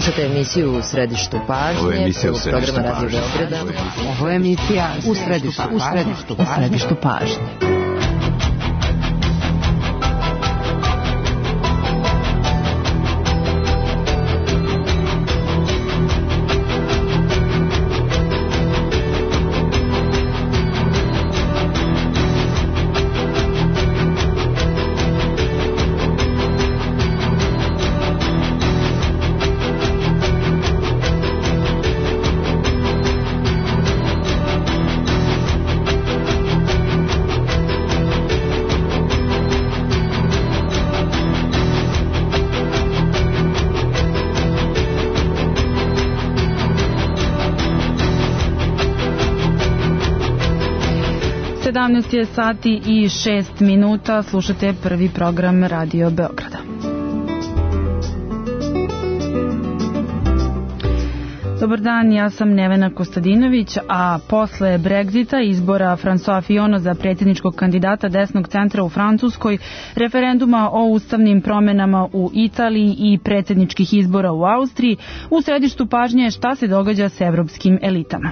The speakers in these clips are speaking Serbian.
Slušajte emisiju U središtu pažnje, programa Radio Beograda. Ovo je emisija U središtu pažnje. Je sati i 6 minuta, slušate prvi program Radio Beograda. Dobar dan, ja sam Nevena Kostadinović, a posle Brexita, izbora François Fillona za predsjedničkog kandidata desnog centra u Francuskoj, referenduma o ustavnim promenama u Italiji i predsjedničkih izbora u Austriji, u središtu pažnje je šta se događa s evropskim elitama.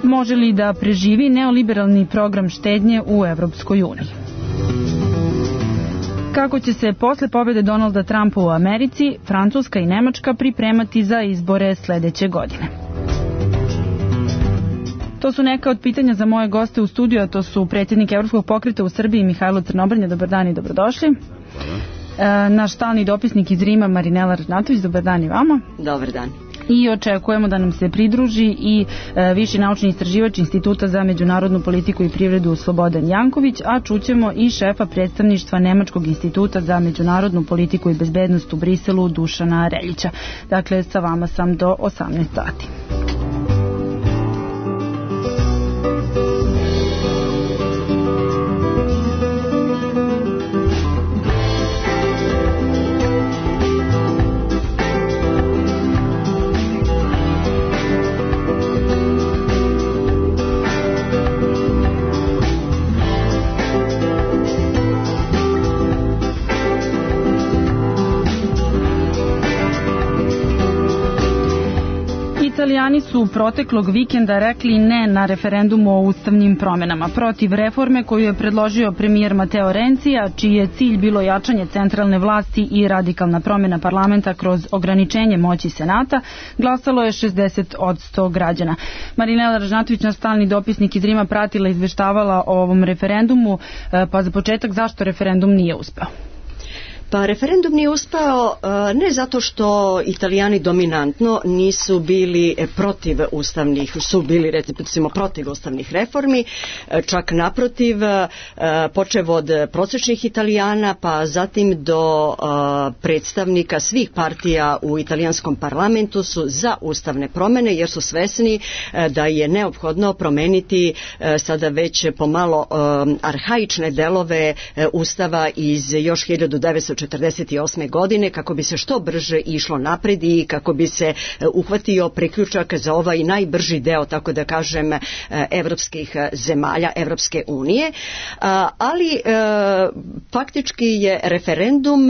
Može li da preživi neoliberalni program štednje u Evropskoj uniji? Kako će se posle pobjede Donalda Trumpa u Americi, Francuska i Nemačka pripremati za izbore sledeće godine? To su neka od pitanja za moje goste u studiju, a to su predsjednik Evropskog pokreta u Srbiji Mihajlo Crnobrnja. Dobar dan i dobrodošli. Naš stalni dopisnik iz Rima Marinela Ražnatović. Dobar dan i vama. Dobar dan. I očekujemo da nam se pridruži i viši naučni istraživač Instituta za međunarodnu politiku i privredu Slobodan Janković, a čućemo i šefa predstavništva Nemačkog instituta za međunarodnu politiku i bezbednost u Briselu Dušana Reljića. Dakle, sa vama sam do 18 sati. Italijani su proteklog vikenda rekli ne na referendumu o ustavnim promenama protiv reforme koju je predložio premijer Matteo Renzi, a čiji je cilj bilo jačanje centralne vlasti i radikalna promjena parlamenta kroz ograničenje moći Senata. Glasalo je 60% građana. Marinela Ražnatović, naš stalni dopisnik iz Rima, pratila i izveštavala o ovom referendumu, pa za početak zašto referendum nije uspeo? Pa referendum nije uspeo ne zato što Italijani dominantno nisu bili protiv ustavnih, su bili recimo protiv ustavnih reformi, čak naprotiv, počev od prosječnih Italijana pa zatim do predstavnika svih partija u italijanskom parlamentu su za ustavne promjene jer su svesni da je neophodno promeniti sada već pomalo arhaične delove ustava iz još 1948. godine kako bi se što brže išlo napred i kako bi se uhvatio priključak za ovaj najbrži deo, tako da kažem, evropskih zemalja, Evropske unije. Ali faktički je referendum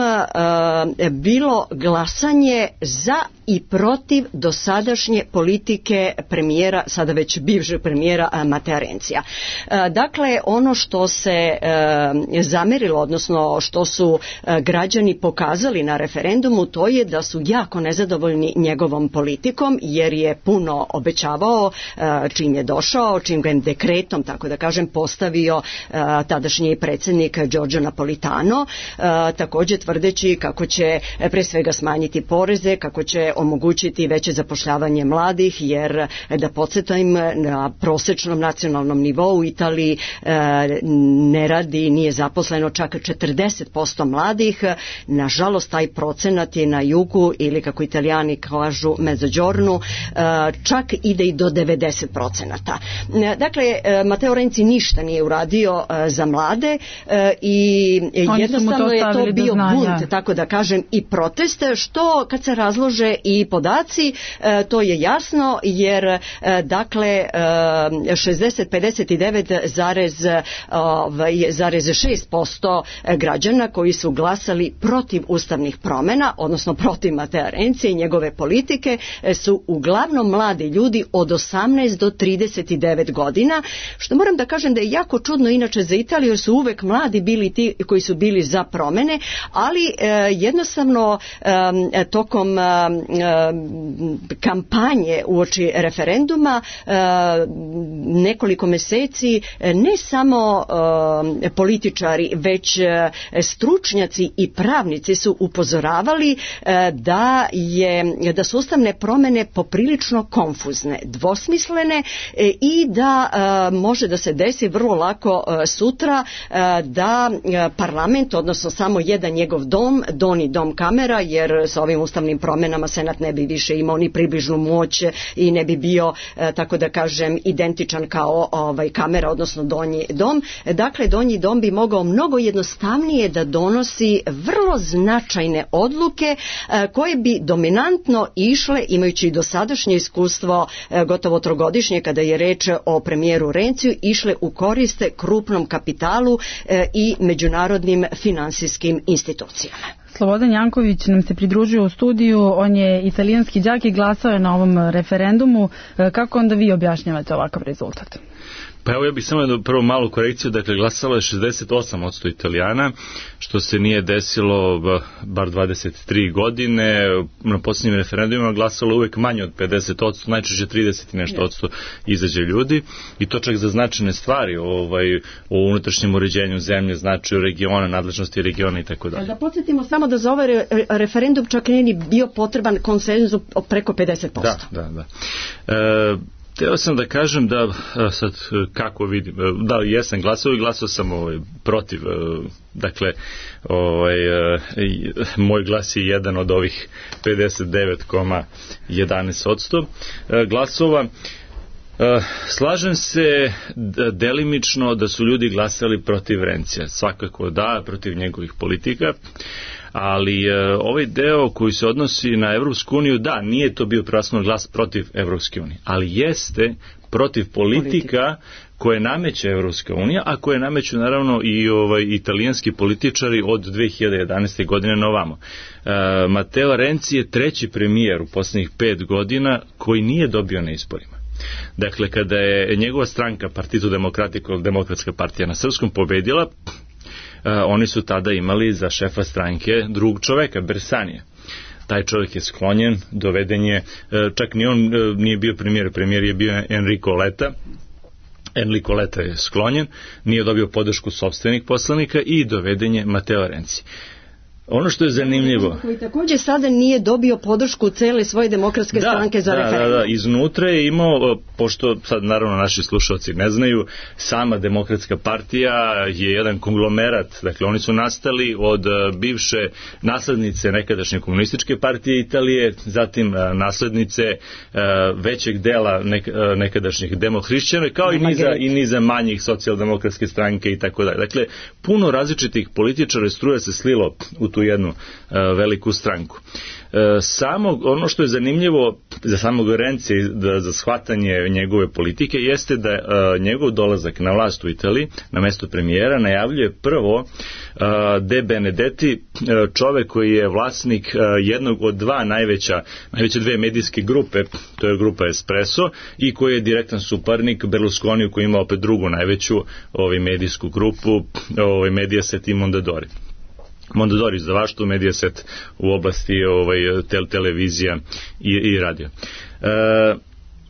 bilo glasanje za i protiv dosadašnje politike premijera, sada već bivšeg premijera Matea Renzija. Dakle, ono što se zamerilo, odnosno što su građani pokazali na referendumu, to je da su jako nezadovoljni njegovom politikom, jer je puno obećavao čim je došao, čim ga je dekretom, tako da kažem, postavio tadašnji predsjednik Giorgio Napolitano, također tvrdeći kako će pre svega smanjiti poreze, kako će omogućiti veće zapošljavanje mladih, jer da podsjetim, na prosječnom nacionalnom nivou u Italiji ne radi, nije zaposleno čak 40% mladih. Nažalost, taj procenat je na jugu, ili kako Italijani kažu Mezzogiorno, čak ide i do 90%. Dakle, Matteo Renzi ništa nije uradio za mlade i jednostavno je to bio bunt, tako da kažem, i protest, što kad se razlože i podaci, to je jasno, jer dakle 59,6% građana koji su glasali glasali protiv ustavnih promjena, odnosno protiv Matea Renzija i njegove politike, su uglavnom mladi ljudi od 18 do 39 godina, što moram da kažem da je jako čudno inače za Italiju, jer su uvek mladi bili ti koji su bili za promjene, ali jednostavno tokom kampanje uoči referenduma nekoliko meseci ne samo političari, već stručnjaci i pravnici su upozoravali da su ustavne promjene poprilično konfuzne, dvosmislene i da može da se desi vrlo lako sutra da parlament, odnosno samo jedan njegov dom, Donji dom Kamera, jer sa ovim ustavnim promjenama Senat ne bi više imao ni približnu moć i ne bi bio, tako da kažem, identičan kao Kamera, odnosno Donji dom. Dakle, Donji dom bi mogao mnogo jednostavnije da donosi vrlo značajne odluke koje bi dominantno išle, imajući dosadašnje iskustvo gotovo trogodišnje kada je reč o premijeru Renziju, išle u koriste krupnom kapitalu i međunarodnim finansijskim institucijama. Slobodan Janković nam se pridružio u studiju, on je italijanski đak i glasao je na ovom referendumu. Kako onda vi objašnjavate ovakav rezultat? Pa evo, ja bih samo prvo malu korekciju, dakle glasalo je 68% Italijana, što se nije desilo bar 23 godine, na posljednjim referendumima glasalo uvek manje od 50%, najčešće 30 i nešto odsto izađe ljudi, i to čak za značajne stvari o unutrašnjem uređenju zemlje, značaju regiona, nadležnosti regiona i tako dalje. Da podsjetimo samo da za ovaj referendum čak nije ni bio potreban konsenzus preko 50%. Da. Teo sam da kažem da, sad kako vidim, da jesam glasao i glasao sam protiv, dakle moj glas je jedan od ovih 59,11% glasova. Slažem se delimično da su ljudi glasali protiv Renzija, svakako da, protiv njegovih politika, ali ovaj deo koji se odnosi na Evropsku uniju, da, nije to bio prvenstveno glas protiv Evropske unije, ali jeste protiv politika koje nameće Evropska unija, a koje nameću naravno i italijanski političari od 2011. godine na ovamo. Matteo Renzi je treći premijer u posljednjih 5 godina koji nije dobio na izborima. Dakle, kada je njegova stranka Partito Democratico, Demokratska partija na srpskom, pobedila, oni su tada imali za šefa stranke drugog čoveka, Bersanija. Taj čovjek je sklonjen, doveden je, čak ni on nije bio premijer je bio Enrico Letta. Enrico Letta je sklonjen, nije dobio podršku sopstvenih poslanika i doveden je Matteo Renzi. Ono što je zanimljivo... Koji također sada nije dobio podršku cele svoje demokratske stranke za referendum. Da, iznutra je imao, pošto sad naravno naši slušalci ne znaju, sama demokratska partija je jedan konglomerat, dakle oni su nastali od bivše naslednice nekadašnje komunističke partije Italije, zatim naslednice većeg dela nekadašnjih demohrišćana, kao i niza manjih socijaldemokratske stranke i tako dalje. Dakle, puno različitih političara struje se slilo u tu jednu veliku stranku. Ono što je zanimljivo za samog Renzija, za shvatanje njegove politike, jeste da njegov dolazak na vlast u Italiji na mesto premijera najavljuje prvo De Benedetti, čovek koji je vlasnik jednog od najveće dve medijske grupe, to je grupa Espresso, i koji je direktan suparnik Berlusconiju, koji ima opet drugu najveću medijsku grupu, Mediaset i Mondadori za vaštu, Mediaset u oblasti televizija i radio.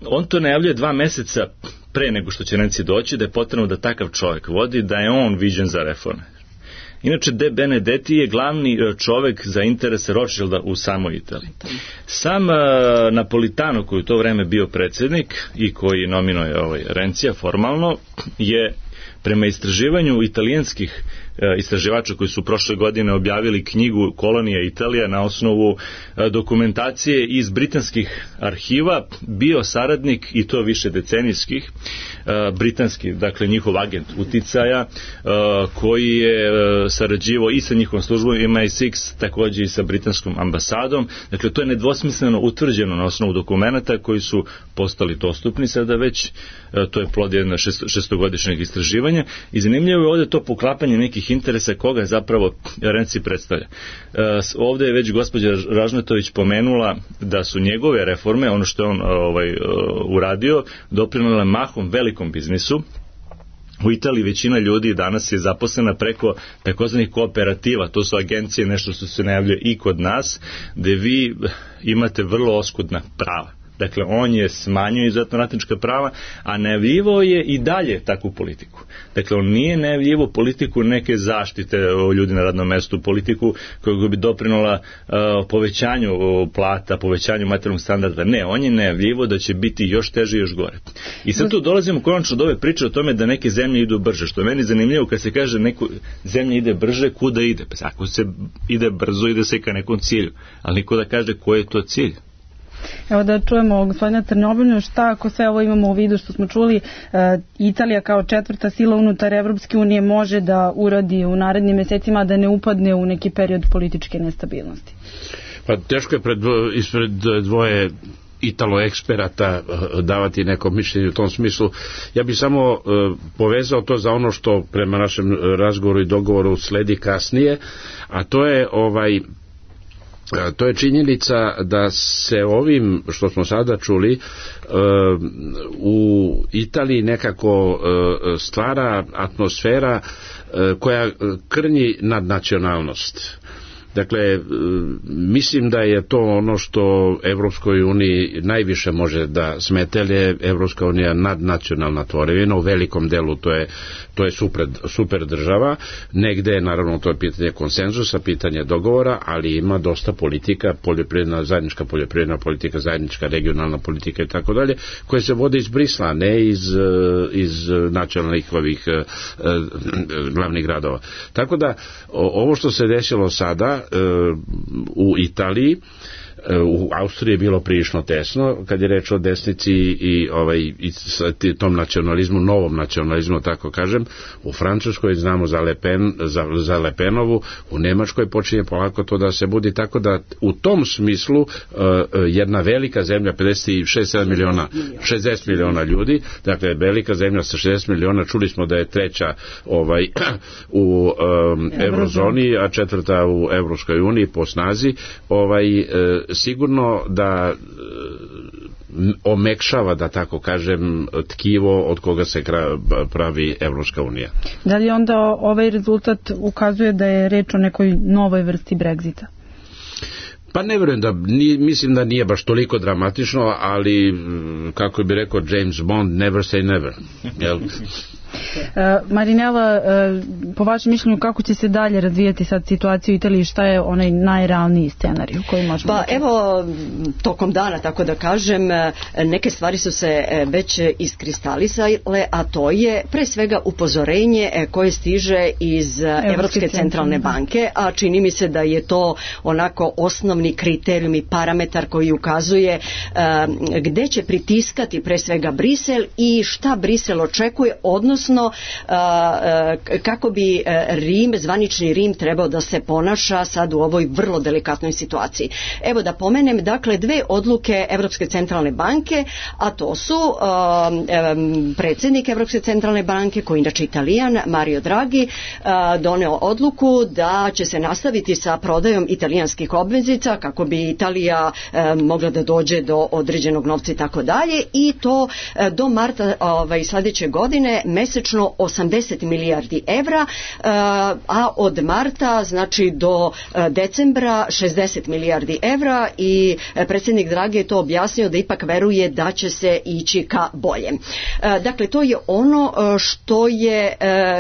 On to najavljuje 2 meseca pre nego što će Renzi doći, da je potrebno da takav čovjek vodi, da je on viđen za reforme. Inače, De Benedetti je glavni čovjek za interese Rothschilda u samoj Italiji. Sam Napolitano, koji u to vreme bio predsjednik i koji nominuje Renzija formalno, je prema istraživanju italijanskih istraživača koji su prošle godine objavili knjigu Kolonija Italija na osnovu dokumentacije iz britanskih arhiva, bio saradnik, i to više decenijskih, britanski, dakle njihov agent uticaja, koji je sarađivao i sa njihovom službom MI6, također i sa britanskom ambasadom. Dakle, to je nedvosmisleno utvrđeno na osnovu dokumenta koji su postali dostupni sada već. To je plod jednog šestogodišnjeg istraživanja istraživanja i zanimljivo je ovdje to poklapanje nekih interesa koga zapravo Renci predstavlja. Ovdje je već gospođa Ražnatović pomenula da su njegove reforme, ono što je on uradio, doprinijele mahom velikom biznisu. U Italiji većina ljudi danas je zaposlena preko takozvanih kooperativa, to su agencije, nešto što se najavljuje i kod nas, gde vi imate vrlo oskudna prava. Dakle, on je smanjio izuzetno radnička prava, a najavljivao je i dalje takvu politiku. Dakle, on nije najavljivao politiku neke zaštite o ljudi na radnom mestu, politiku koja bi doprinula povećanju plata, povećanju materijalnog standarda. Ne, on je najavljivao da će biti još teže i još gore. I sad tu dolazimo konačno do ove priče o tome da neke zemlje idu brže, što je meni zanimljivo kad se kaže neko zemlja ide brže, kuda ide? Pa ako se ide brzo, ide se ka nekom cilju, ali niko da kaže koji je to cilj. Evo da čujemo gospodina Crnobrnju, šta ako sve ovo imamo u vidu što smo čuli, Italija kao četvrta sila unutar Evropske unije može da uradi u narednim mesecima da ne upadne u neki period političke nestabilnosti? Pa teško je ispred dvoje Italo-eksperata davati neko mišljenje u tom smislu. Ja bih samo povezao to za ono što prema našem razgovoru i dogovoru sledi kasnije, a to je činjenica da se ovim što smo sada čuli u Italiji nekako stvara atmosfera koja krnji nadnacionalnost. Dakle, mislim da je to ono što Evropskoj uniji najviše može da smete, jer je Evropska unija nadnacionalna tvorevina, u velikom delu to je super država, negde je naravno to je pitanje konsenzusa, pitanje dogovora, ali ima dosta politika, zajednička poljoprivredna politika, zajednička regionalna politika i tako dalje, koje se vode iz Brisla, ne iz nacionalnih glavnih gradova. Tako da, ovo što se desilo sada u Italiji, u Austriji je bilo prilično tesno kad je reč o desnici i tom nacionalizmu, novom nacionalizmu, tako kažem. U Francuskoj znamo za Le Penovu, u Nemačkoj počinje polako to da se budi, tako da u tom smislu jedna velika zemlja, 56 miliona, 60 miliona ljudi, dakle velika zemlja sa 60 miliona, čuli smo da je treća u eurozoni, a četvrta u Evropskoj uniji po snazi, sigurno da omekšava, da tako kažem, tkivo od koga se pravi Evropska unija. Da li onda ovaj rezultat ukazuje da je reč o nekoj novoj vrsti Brexita? Pa ne vjerujem mislim da nije baš toliko dramatično, ali kako bi rekao James Bond, never say never. Jel? Marinela, po vašem mišljenju kako će se dalje razvijati sad situacija u Italiji, šta je onaj najrealniji scenarij koji možemo da evo, tokom dana, tako da kažem, neke stvari su se već iskristalisale, a to je pre svega upozorenje koje stiže iz Evropske centralne banke, a čini mi se da je to onako osnovni kriterijum i parametar koji ukazuje gde će pritiskati pre svega Brisel i šta Brisel očekuje, odnosno kako bi zvanični Rim trebao da se ponaša sad u ovoj vrlo delikatnoj situaciji. Evo da pomenem, dakle, dve odluke Evropske centralne banke, a to su predsjednik Evropske centralne banke, koji inače Italijan, Mario Draghi, doneo odluku da će se nastaviti sa prodajom italijanskih obveznica kako bi Italija mogla da dođe do određenog novca i tako dalje, i to do marta sljedeće godine mesečno 80 milijardi evra, a od marta znači do decembra 60 milijardi evra, i predsjednik Draghi je to objasnio da ipak veruje da će se ići ka boljem. Dakle, to je ono što je,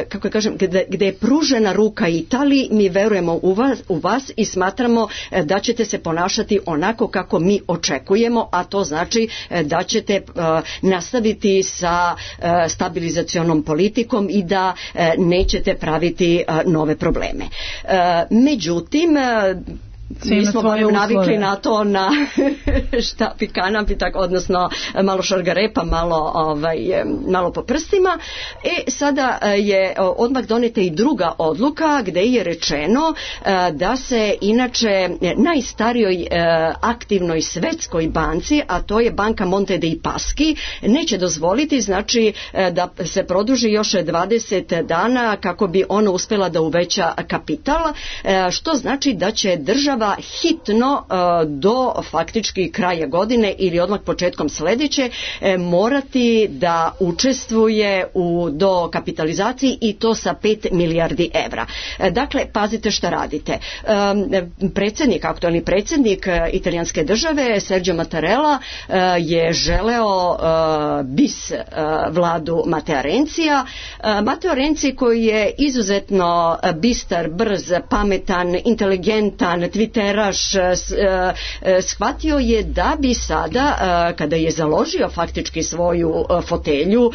kako kažem, gde je pružena ruka Italiji, mi verujemo u vas i smatramo da ćete se ponašati onako kako mi očekujemo, a to znači da ćete nastaviti sa stabilizacionom politikom i da nećete praviti nove probleme. Međutim, mi smo navikli na to, na štap i kanap i tako, odnosno malo šargarepa, malo po prstima. Sada je odmah doneta i druga odluka gde je rečeno da se inače najstarijoj aktivnoj svetskoj banci, a to je banka Monte dei Paschi, neće dozvoliti, znači, da se produži još 20 dana kako bi ona uspela da uveća kapital, što znači da će država hitno do faktički kraja godine ili odmah početkom sledeće morati da učestvuje u dokapitalizaciji i to sa 5 milijardi evra. Dakle, pazite šta radite. Aktualni predsjednik italijanske države, Sergio Mattarella, je želeo bis vladu Matea Renzija. Matteo Renzi, koji je izuzetno bistar, brz, pametan, inteligentan, twitteraš, shvatio je da bi sada, kada je založio faktički svoju fotelju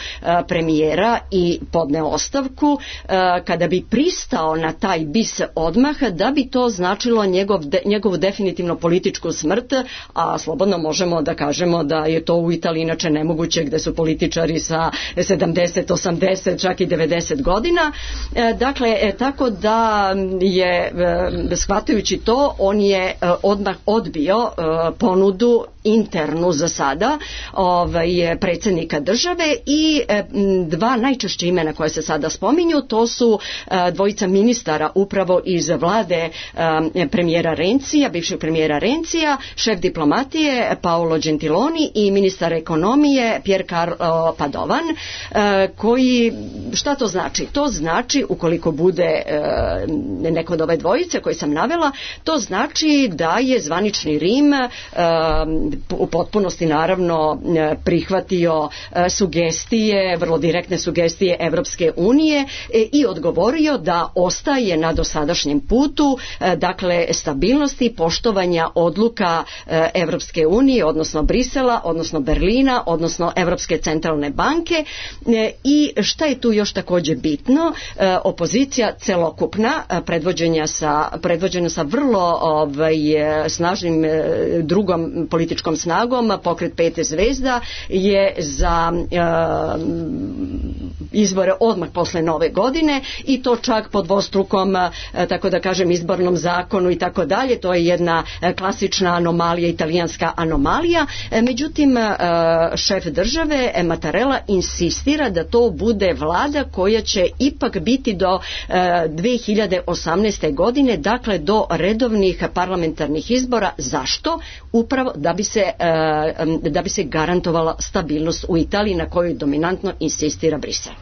premijera i podneo ostavku, kada bi pristao na taj bis odmah, da bi to značilo njegovu definitivno političku smrt, a slobodno možemo da kažemo da je to u Italiji inače nemoguće, gde su političari sa 70, 80, čak i 90 godina. Dakle, tako da je, shvatajući to, on je odmah odbio ponudu internu za sada predsjednika države i dva najčešće imena koje se sada spominju, to su dvojica ministara upravo iz vlade premijera Renzija, bivšeg premijera Renzija, šef diplomatije Paolo Gentiloni i ministar ekonomije Pier Carlo Padovan, koji, šta to znači? To znači, ukoliko bude neko od ove dvojice koje sam navela, to znači da je zvanični Rim u potpunosti naravno prihvatio sugestije, vrlo direktne sugestije Evropske unije i odgovorio da ostaje na dosadašnjem putu, dakle stabilnosti, poštovanja odluka Evropske unije, odnosno Brisela, odnosno Berlina, odnosno Evropske centralne banke. I šta je tu još također bitno? Opozicija celokupna, predvođena sa vrlo snažnim drugom političkom snagom, pokret 5 zvezda, je za izbore odmah posle nove godine i to čak po dvostrukom, tako da kažem, izbornom zakonu i tako dalje. To je jedna klasična anomalija, italijanska anomalija. Međutim, šef države Mattarella insistira da to bude vlada koja će ipak biti do 2018. godine, dakle do redovnih parlamentarnih izbora. Zašto? Upravo da bi se garantovala stabilnost u Italiji, na kojoj dominantno insistira Brisel.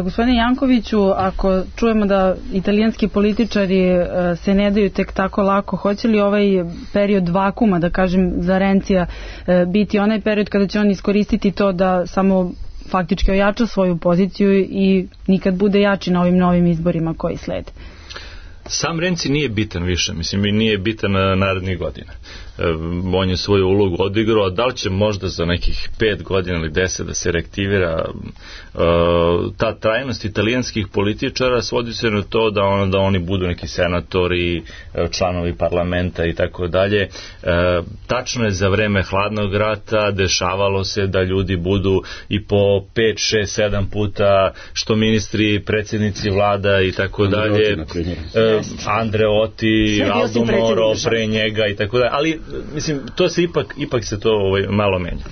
Gospodine Jankoviću, ako čujemo da italijanski političari se ne daju tek tako lako, hoće li ovaj period vakuma, da kažem, za Renzija biti onaj period kada će on iskoristiti to da samo faktički ojača svoju poziciju i nikad bude jači na ovim novim izborima koji slede? Sam Renzi nije bitan više, mislim, i nije bitan narednih godina. On je svoju ulogu odigrao, da li će možda za nekih 5 godina ili 10 da se reaktivira ta trajnost italijanskih političara, svodi se na to da oni budu neki senatori, članovi parlamenta i tako dalje. Tačno je, za vreme hladnog rata dešavalo se da ljudi budu i po 5, 6, 7 puta što ministri, predsjednici vlada i tako dalje. Andreotti, Aldo Moro pre njega i tako dalje, ali mislim, to se ipak se to malo menja.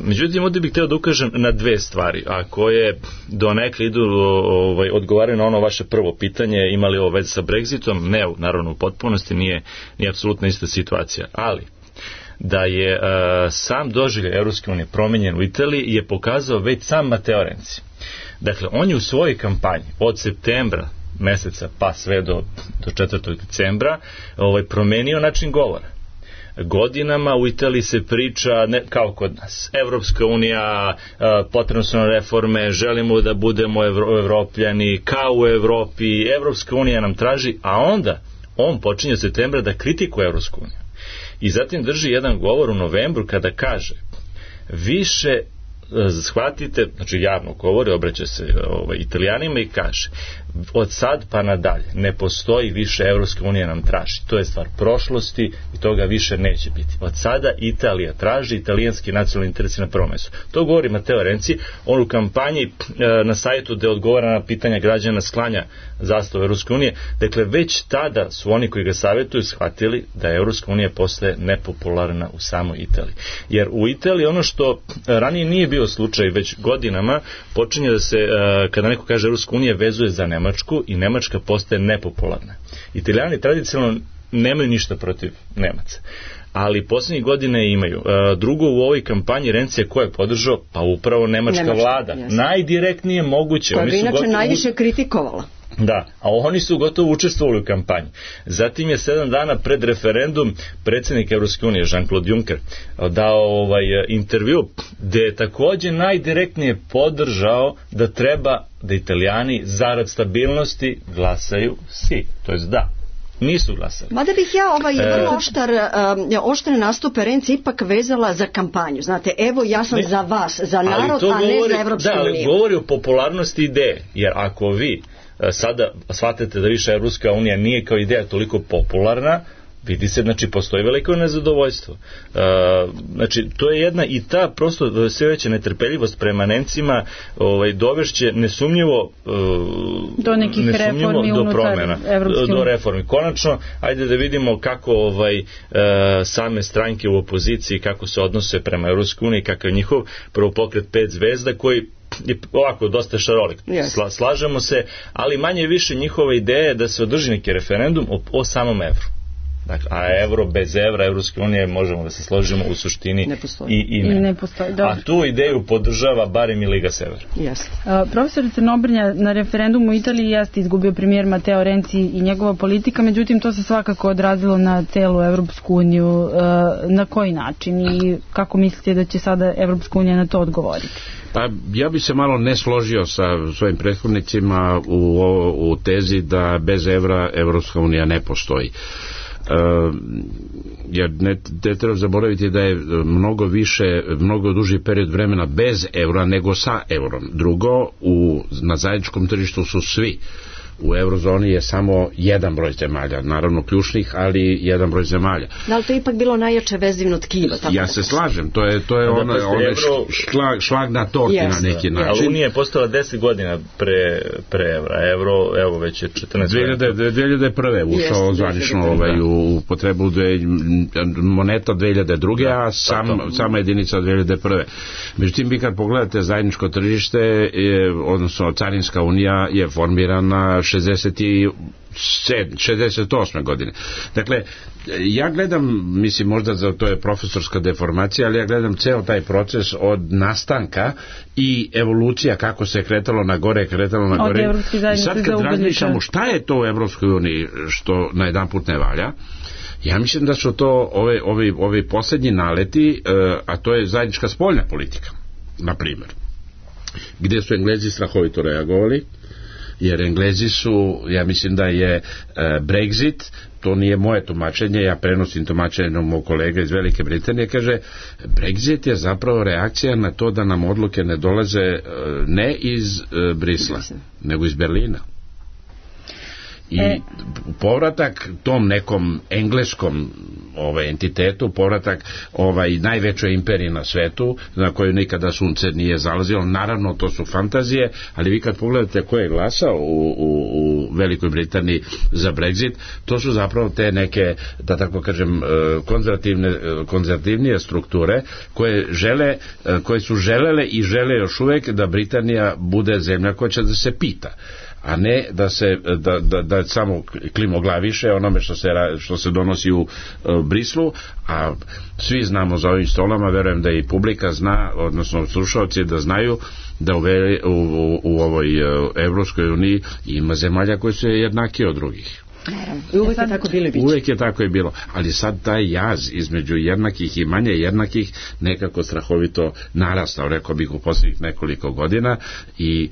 Međutim, ovdje bih htio da ukažem na dve stvari, a koje donekle idu, odgovaraju na ono vaše prvo pitanje, imali ovo veze sa Brexitom. Ne, naravno u potpunosti nije apsolutno ista situacija, ali da je sam doživljaj Evropske unije promenjen u Italiji je pokazao već sam Matteo Renzi. Dakle, on je u svojoj kampanji od septembra meseca pa sve do 4. decembra promenio način govora. Godinama u Italiji se priča, ne, kao kod nas, Evropska unija, potrebno su nam reforme, želimo da budemo evropljani, kao u Evropi, Evropska unija nam traži, a onda on počinje od septembra da kritikuje Evropsku uniju. I zatim drži jedan govor u novembru kada kaže: više shvatite, znači javno govori, obraća se Italijanima i kaže, od sad pa nadalje ne postoji više, Evropska unija nam traži, to je stvar prošlosti i toga više neće biti. Od sada Italija traži, italijanski nacionalni interesi na prvom mestu. To govori Matteo Renzi, on u kampanji na sajtu gde odgovara na pitanja građana sklanja zastavu Evropske unije. Dakle, već tada su oni koji ga savjetuju shvatili da Evropska unija postaje nepopularna u samoj Italiji. Jer u Italiji ono što ranije nije bio slučaj, već godinama počinje da se, kada neko kaže Evropska unija, vezuje za Nemačku i Nemačka postaje nepopularna. Italijani tradicionalno nemaju ništa protiv Nemaca, ali poslednjih godine imaju. Drugo, u ovoj kampanji Renzija ko je podržao? Pa upravo nemačka vlada. Jasno. Najdirektnije moguće. Koja bi inače najviše kritikovala. Da, a oni su gotovo učestvovali u kampanji. Zatim je 7 dana pred referendum predsjednik Evropske unije Jean-Claude Juncker dao intervju gde je takođe najdirektnije podržao da treba da Italijani zarad stabilnosti glasaju si, to jest da. Nisu glasali. Mada bih ja vrlo oštre nastupe Renzi ipak vezala za kampanju. Znate, evo ja sam za vas, za narod, a ne za Evropsku uniju. Da, ali govori o popularnosti ideje, jer ako vi sada shvatite da više Evropska unija nije kao ideja toliko popularna, vidi se, znači, postoji veliko nezadovoljstvo. Znači, to je jedna i ta prosto sve veća netrpeljivost prema Nemcima dovešće nesumnjivo do nekih reformi do promjena, do reformi. Konačno, ajde da vidimo kako same stranke u opoziciji, kako se odnose prema Evropskoj uniji, kakav je njihov prvopokret 5 zvezda, koji je ovako dosta šarolik. Slažemo se, ali manje više njihova ideja je da se održi neki referendum o samom evru. Dakle, a evro bez evra, Evropske unije, možemo da se složimo, u suštini i ne postoji. A tu ideju podržava barem i Liga Sever. Profesor Crnobrnja, na referendumu u Italiji jeste izgubio premijer Matteo Renzi i njegova politika, međutim to se svakako odrazilo na celu Evropsku uniju. Na koji način i kako mislite da će sada Evropska unija na to odgovoriti? Pa ja bi se malo ne složio sa svojim prethodnicima u tezi da bez evra Evropska unija ne postoji. Jer ne treba zaboraviti da je mnogo duži period vremena bez evra nego sa evrom. Drugo, na zajedničkom tržištu su svi. U eurozoni je samo jedan broj zemalja, naravno ključnih, ali jedan broj zemalja. Da li to je ipak bilo najjače vezivno tkivo? Ja se slažem, to je onaj šlag na torti na neki način. Ali Unija je postala 10 godina pre evra. Evro, evo već je 14 2001. ušao zvanično u potrebu moneta 2002. a sama jedinica 2001. Međutim, vi kad pogledate zajedničko tržište, odnosno Carinska unija je formirana 68. godine. Dakle, ja gledam, mislim možda to je profesorska deformacija, ali ja gledam ceo taj proces od nastanka i evolucija kako se kretalo na gore. I sad kad razmišljamo šta je to u Evropskoj uniji što na jedan put ne valja, ja mislim da su to ovi poslednji naleti, a to je zajednička spoljna politika, na primjer, gdje su Englezi strahovito reagovali, jer Englezi su, ja mislim da je Brexit, to nije moje tumačenje, ja prenosim tumačenje mog kolega iz Velike Britanije, kaže, Brexit je zapravo reakcija na to da nam odluke ne dolaze ne iz Brisla, nego iz Berlina. I povratak tom nekom engleskom entitetu, povratak najvećoj imperiji na svetu, na koju nikada sunce nije zalazilo, naravno to su fantazije, ali vi kad pogledate ko je glasao u Velikoj Britaniji za Brexit, to su zapravo te neke, da tako kažem, konzervativnije strukture koje su želele i žele još uvek da Britanija bude zemlja koja će da se pita, a ne da samo klimoglaviše onome što se donosi u Brislu, a svi znamo za ovim stolama, verujem da i publika zna, odnosno slušalci da znaju da u ovoj Evropskoj uniji ima zemalja koje su jednakije od drugih. Uvek je tako bilo i biće. Uvek je tako i bilo, ali sad taj jaz između jednakih i manje jednakih nekako strahovito narastao, rekao bih, u posljednjih nekoliko godina i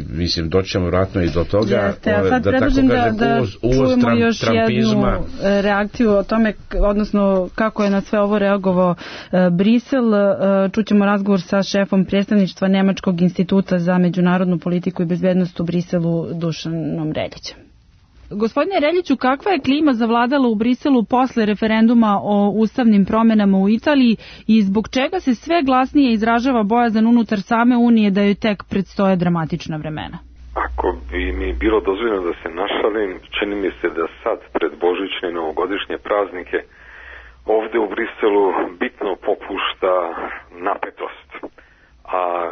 mislim doćemo vratno i do toga. Jeste, a sad predlažem da čujemo još jednu reakciju o tome, odnosno kako je na sve ovo reagovao Brisel. Čućemo razgovor sa šefom predstavništva Nemačkog instituta za međunarodnu politiku i bezbednost u Briselu, Dušanom Reljićem. Gospodine Reljiću, kakva je klima zavladala u Briselu posle referenduma o ustavnim promenama u Italiji i zbog čega se sve glasnije izražava bojazan unutar same Unije da joj tek predstoje dramatična vremena? Ako bi mi bilo dozvoljeno da se našalim, čini mi se da sad pred božićne i novogodišnje praznike ovde u Briselu bitno popušta napetost, a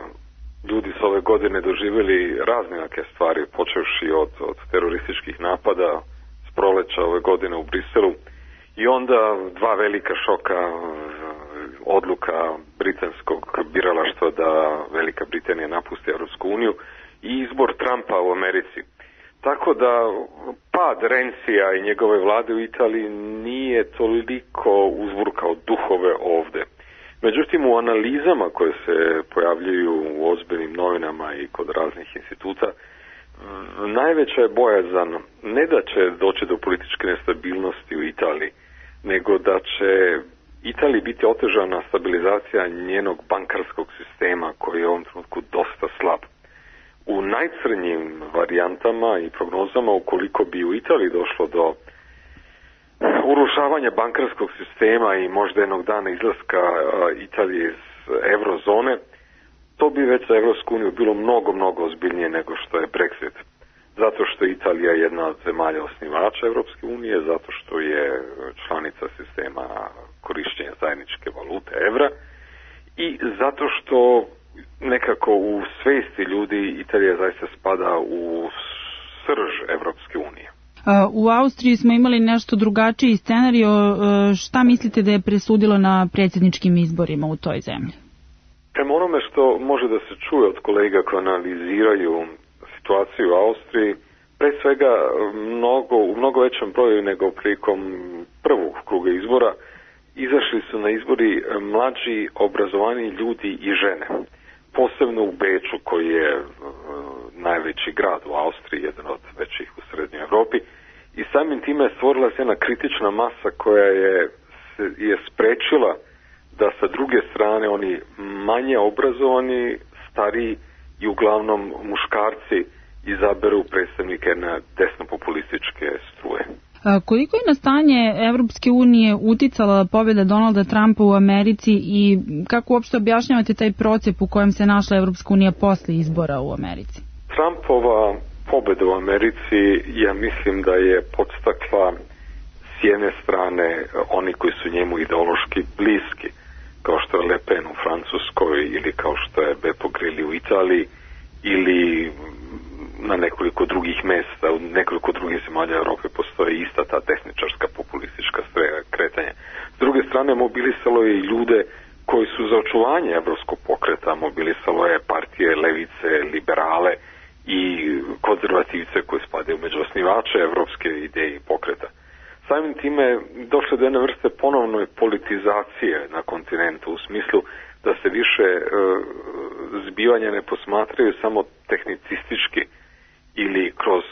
ljudi su ove godine doživjeli razne neke stvari, počevši od terorističkih napada s proleća ove godine u Briselu i onda dva velika šoka, odluka britanskog biralaštva da Velika Britanija napusti Europsku uniju i izbor Trumpa u Americi. Tako da pad Renzija i njegove vlade u Italiji nije toliko uzburkao duhove ovde. Međutim, u analizama koje se pojavljuju u ozbiljnim novinama i kod raznih instituta, najveća je bojazan ne da će doći do političke nestabilnosti u Italiji, nego da će Italiji biti otežana stabilizacija njenog bankarskog sistema koji je u ovom trenutku dosta slab. U najcrnjim varijantama i prognozama, ukoliko bi u Italiji došlo do urušavanja bankarskog sistema i možda jednog dana izlaska Italije iz eurozone, to bi već za Evropsku uniju bilo mnogo ozbiljnije nego što je Brexit. Zato što je Italija jedna od zemalja osnivača Evropske unije, zato što je članica sistema korišćenja zajedničke valute evra i zato što nekako u svesti ljudi Italija zaista spada u srž Evropske unije. U Austriji smo imali nešto drugačiji scenario. Šta mislite da je presudilo na predsjedničkim izborima u toj zemlji? Prema onome što može da se čuje od kolega koji analiziraju situaciju u Austriji, pre svega u mnogo većem broju nego prilikom prvog kruga izbora, izašli su na izbori mlađi, obrazovani ljudi i žene. Posebno u Beču, koji je najveći grad u Austriji, jedan od većih u Srednjoj Evropi, i samim time stvorila se jedna kritična masa koja je sprečila da sa druge strane oni manje obrazovani, stariji i uglavnom muškarci izaberu predstavnike na desnopopulističke struje. Koliko je na stanje Evropske unije uticala pobjeda Donalda Trumpa u Americi i kako uopšte objašnjavate taj procep u kojem se našla Evropska unija posle izbora u Americi? Trumpova pobjeda u Americi, ja mislim da je podstakla s jedne strane oni koji su njemu ideološki bliski, kao što je Le Pen u Francuskoj ili kao što je Beppe Grilli u Italiji ili na nekoliko drugih mesta, u nekoliko drugih zemalja Europe postoje ista ta desničarska populistička kretanja. S druge strane, mobilisalo je i ljude koji su za očuvanje evropskog pokreta, mobilisalo je partije levice, liberale i konzervativce koji spadaju među osnivače evropske ideje i pokreta. Samim time došlo do jedne vrste ponovne politizacije na kontinentu u smislu da se više zbivanja ne posmatraju samo tehnicistički ili kroz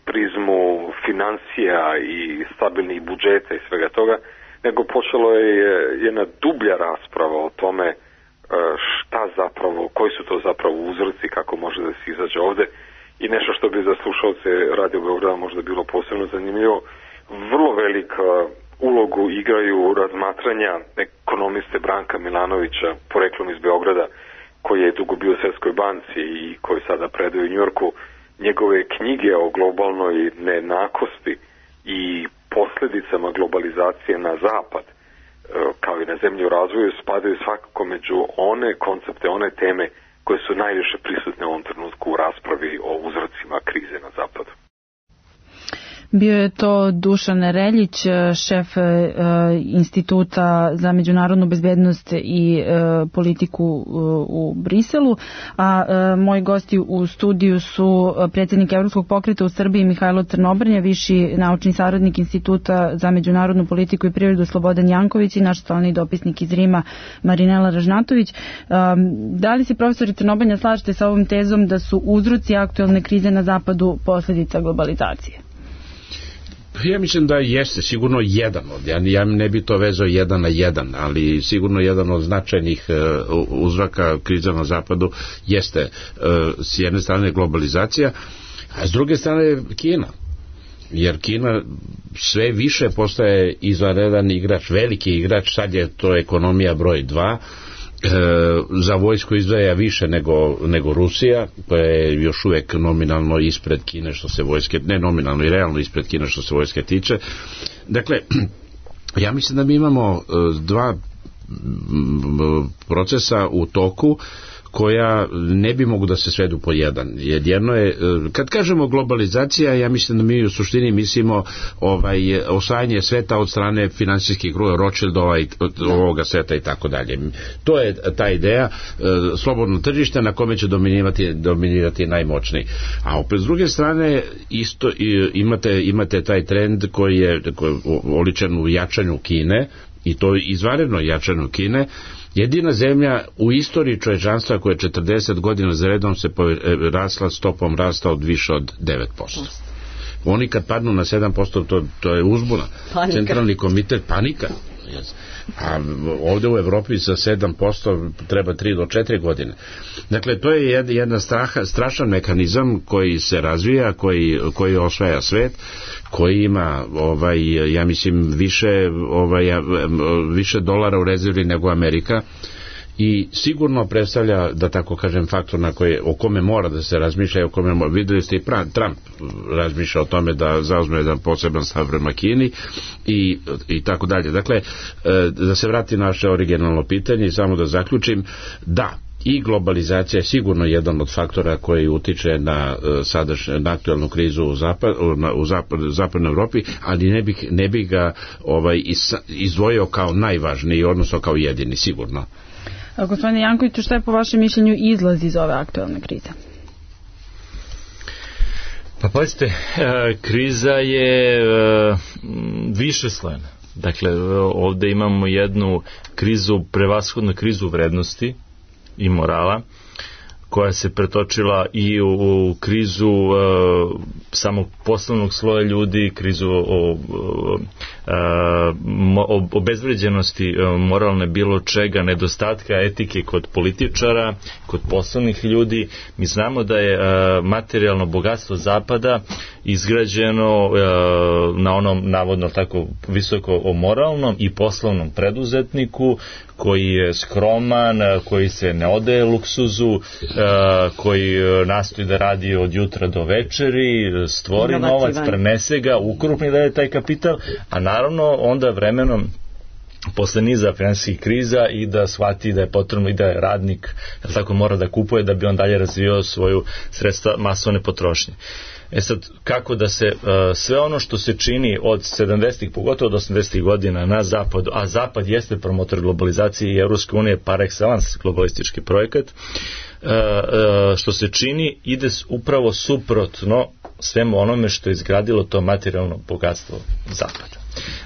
prizmu financija i stabilnih budžeta i svega toga, nego počelo je jedna dublja rasprava o tome koji su to zapravo uzroci, kako može da se izađe ovde i nešto što bi za slušalce Radio Beograda možda bilo posebno zanimljivo. Vrlo veliku ulogu igraju razmatranja ekonomiste Branka Milanovića, poreklom iz Beograda, koji je dugo bio u Svetskoj banci i koji sada predaje u Njujorku. Njegove knjige o globalnoj nejednakosti i posljedicama globalizacije na zapad, kao i na zemlji u razvoju, spadaju svakako među one koncepte, one teme koje su najviše prisutne u ovom trenutku u raspravi o uzrocima krize na zapadu. Bio je to Dušan Reljić, šef Instituta za međunarodnu bezbednost i politiku u Briselu, a moji gosti u studiju su predsjednik Evropskog pokreta u Srbiji Mihajlo Crnobrnja, viši naučni saradnik Instituta za međunarodnu politiku i privredu Slobodan Janković i naš stalni dopisnik iz Rima Marinela Ražnatović. Da li se, profesori Crnobrnja, slažete sa ovom tezom da su uzroci aktuelne krize na zapadu posljedica globalizacije? Ja mislim da jeste sigurno jedan od, ja ne bi to vezao 1 na 1, ali sigurno jedan od značajnih uzroka kriza na zapadu jeste s jedne strane globalizacija, a s druge strane Kina. Jer Kina sve više postaje izvanredan igrač, veliki igrač, sad je to ekonomija broj 2, za vojsku izdvaja više nego Rusija, koja je još uvek nominalno ispred Kine što se vojske, ne nominalno i realno ispred Kine što se vojske tiče. Dakle, ja mislim da mi imamo dva procesa u toku koja ne bi mogu da se svedu po jedan. Jer jedno je, kad kažemo globalizacija, ja mislim da mi u suštini mislimo osvajanje sveta od strane finansijskih kruga, Rothschildova i ovoga sveta i tako dalje. To je ta ideja, slobodno tržište na kome će dominirati najmoćniji. A opet s druge strane isto imate taj trend koji je oličen u jačanju Kine, i to izvanredno jačanju Kine. Jedina zemlja u istoriji čovječanstva koja je 40 godina za redom se rasla stopom rasta od više od 9%. Oni kad padnu na 7%, to je uzbuna. Panika. Centralni komitet, panika. A ovdje u Evropi za 7% treba 3 do 4 godine. Dakle, to je jedan strašan mehanizam koji se razvija, koji osvaja svet, koji ima ja mislim više dolara u rezervi nego Amerika, i sigurno predstavlja, da tako kažem, faktor o kome mora da se razmišlja, videli ste i Trump razmišlja o tome da zauzme jedan poseban stav prema Kini i tako dalje. Dakle, da se vrati na naše originalno pitanje i samo da zaključim, da, i globalizacija je sigurno jedan od faktora koji utiče na aktualnu krizu u zapadnoj Evropi, ali ne bih ga izdvojio kao najvažniji, odnosno kao jedini, sigurno. Gospodine Jankoviću, šta je po vašem mišljenju izlaz iz ove aktualne krize? Pa pazite, kriza je višeslojna. Dakle, ovdje imamo jednu krizu, prevashodno krizu vrednosti i morala, koja se pretočila i u krizu samog poslovnog sloja ljudi, krizu obezvređenosti moralne bilo čega, nedostatka etike kod političara, kod poslovnih ljudi. Mi znamo da je materijalno bogatstvo Zapada izgrađeno na onom navodno tako visoko o moralnom i poslovnom preduzetniku koji je skroman, koji se ne odaje luksuzu, koji nastoji da radi od jutra do večeri, stvori novac, prenese ga, ukrupni da je taj kapital, a naravno onda vremenom posle niza finansijskih kriza i da shvati da je potrebno i da je radnik tako mora da kupuje da bi on dalje razvijao svoju sredstva masovne potrošnje. Sad, kako da se sve ono što se čini od 70-ih, pogotovo od 80-ih godina na zapadu, a zapad jeste promotor globalizacije i Evropske unije par excellence globalistički projekat, što se čini ide upravo suprotno svemu onome što je izgradilo to materijalno bogatstvo zapada.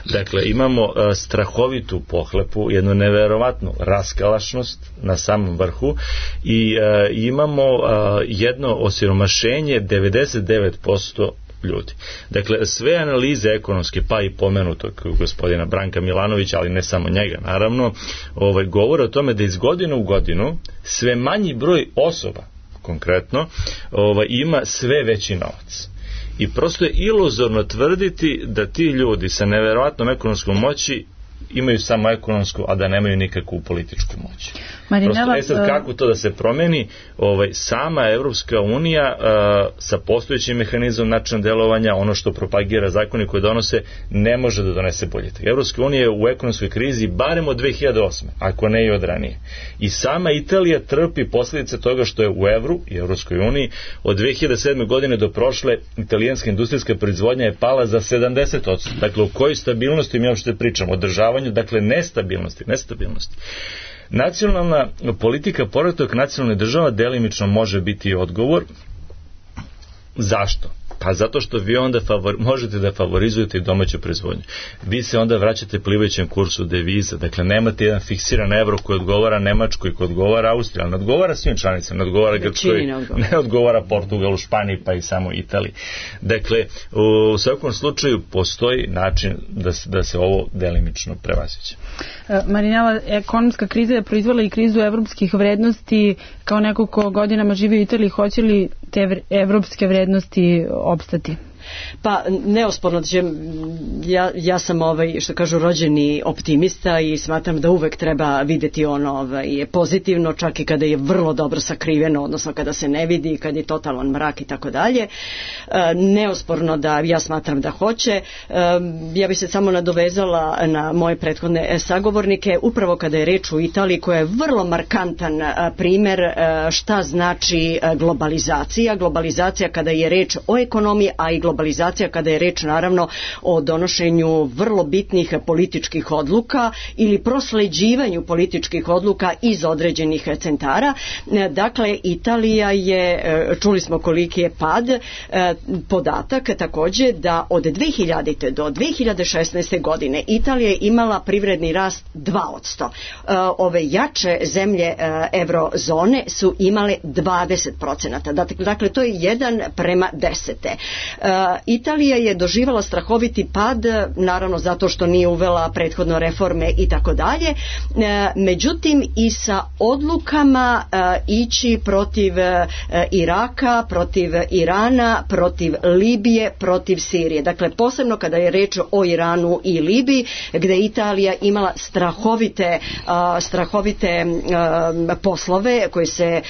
Dakle, imamo strahovitu pohlepu, jednu neverovatnu raskalašnost na samom vrhu i imamo jedno osiromašenje 99% ljudi. Dakle, sve analize ekonomske, pa i pomenutog gospodina Branka Milanovića, ali ne samo njega, naravno, govore o tome da iz godine u godinu sve manji broj osoba, konkretno, ima sve veći novac. I prosto je iluzorno tvrditi da ti ljudi sa neverovatnom ekonomskom moći imaju samo ekonomsku, a da nemaju nikakvu političku moć. Marinela, prosto, sad kako to da se promeni, sama Evropska unija sa postojećim mehanizmom načina delovanja, ono što propagira zakoni koje donose, ne može da donese politika. Evropska unija je u ekonomskoj krizi barem od 2008. ako ne i od ranije. I sama Italija trpi posljedice toga što je u evru i Evropskoj uniji od 2007. godine do prošle italijanska industrijska proizvodnja je pala za 70%. Dakle, o kojoj stabilnosti mi uopšte pričamo? Održavanju, dakle, nestabilnosti. Nacionalna politika, povratak nacionalne država delimično može biti odgovor. Zašto? Pa zato što vi onda možete da favorizujete i domaću proizvodnju. Vi se onda vraćate plivajućem kursu deviza. Dakle, nemate jedan fiksiran evro koji odgovara Nemačkoj, koji odgovara Austriji, ali ne odgovara svim članicama, ne odgovara Grčkoj, ne odgovara Portugalu, Španiji, pa i samo Italiji. Dakle, u svakom slučaju postoji način da se ovo delimično prevaziđe. Marinela, ekonomska kriza je proizvela i krizu evropskih vrednosti. Kao neko ko godinama živi u Italiji, hoće li te evropske vrednosti opstati? Pa neosporno, ja sam što kažu rođeni optimista i smatram da uvek treba videti ono pozitivno, čak i kada je vrlo dobro sakriveno, odnosno kada se ne vidi, kada je totalan mrak i tako dalje. Neosporno da ja smatram da hoće. Ja bih se samo nadovezala na moje prethodne sagovornike, upravo kada je reč u Italiji, koja je vrlo markantan primer šta znači globalizacija kada je reč o ekonomiji, a i globalizacija kada je reč naravno o donošenju vrlo bitnih političkih odluka ili prosleđivanju političkih odluka iz određenih centara. Dakle, Italija je, čuli smo koliki je pad, podatak takođe da od 2000. do 2016. godine Italija je imala privredni rast 2%. Ove jače zemlje evrozone su imale 20%. Dakle, to je 1:10. Italija je doživala strahoviti pad, naravno zato što nije uvela prethodno reforme i tako dalje, međutim i sa odlukama ići protiv Iraka, protiv Irana, protiv Libije, protiv Sirije. Dakle, posebno kada je reč o Iranu i Libiji, gde je Italija imala strahovite poslove koji se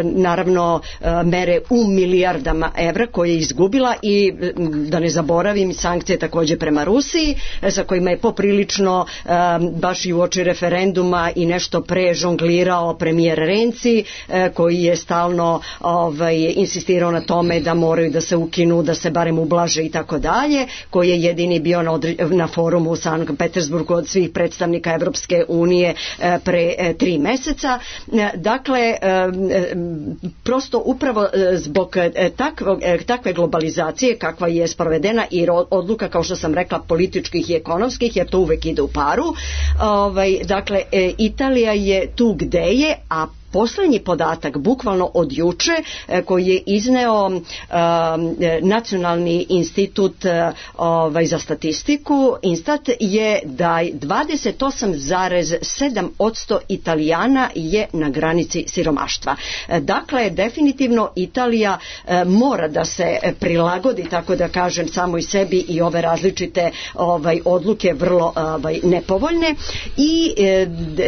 naravno mere u milijardama evra koje je izgubila i da ne zaboravim sankcije takođe prema Rusiji sa kojima je poprilično baš i uoči referenduma i nešto pre žonglirao premijer Renzi koji je stalno insistirao na tome da moraju da se ukinu, da se barem ublaže i tako dalje, koji je jedini bio na forumu u Sankt Petersburgu od svih predstavnika Evropske unije pre 3 meseca. Dakle, prosto upravo zbog takve globalizacije kakva je sprovedena i odluka, kao što sam rekla, političkih i ekonomskih, jer to uvek ide u paru. Dakle, Italija je tu gde je, a poslednji podatak, bukvalno od juče, koji je izneo Nacionalni institut za statistiku, Instat, je da 28,7% Italijana je na granici siromaštva. Dakle, definitivno Italija mora da se prilagodi, tako da kažem, samoj sebi i ove različite odluke vrlo nepovoljne i